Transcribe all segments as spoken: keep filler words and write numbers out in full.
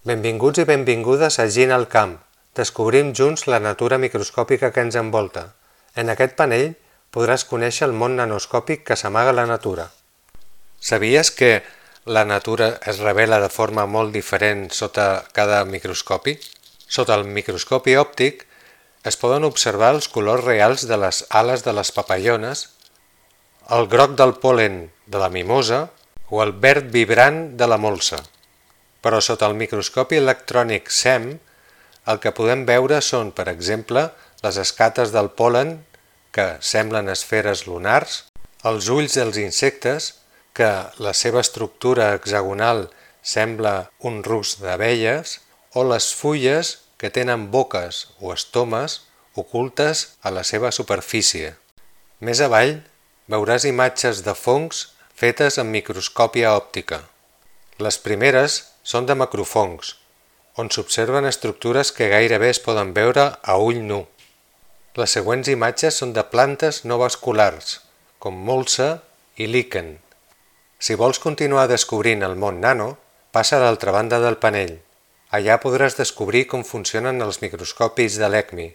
Benvinguts i benvingudes a Gina al Camp. Descobrim junts la natura microscòpica que ens envolta. En aquest panell podràs conèixer el món nanoscòpic que s'amaga a la natura. Sabies que la natura es revela de forma molt diferent sota cada microscopi? Sota el microscopi òptic es poden observar els colors reals de les ales de les papallones, el groc del pol·len de la mimosa o el verd vibrant de la molsa. Però sota el microscopi electrònic SEM el que podem veure són, per exemple, les escates del pol·len, que semblen esferes lunars, els ulls dels insectes, que la seva estructura hexagonal sembla un rusc d'abelles, o les fulles que tenen boques o estomes ocultes a la seva superfície. Més avall veuràs imatges de fongs fetes amb microscòpia òptica. Les primeres són de macrofongs, on s'observen estructures que gairebé es poden veure a ull nu. Les següents imatges són de plantes no vasculars, com molsa i líquen. Si vols continuar descobrint el món nano, passa a l'altra banda del panell. Allà podràs descobrir com funcionen els microscopis de l'ECMI.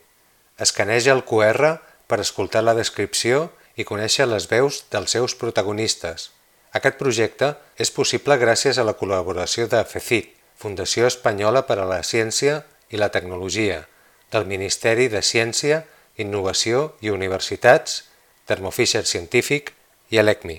Escaneja el cu erre per escoltar la descripció i conèixer les veus dels seus protagonistes. Aquest projecte és possible gràcies a la col·laboració de FECIT, Fundació Espanyola per a la Ciència i la Tecnologia, del Ministeri de Ciència, Innovació i Universitats, Thermo Fisher Scientific i l'ECMI.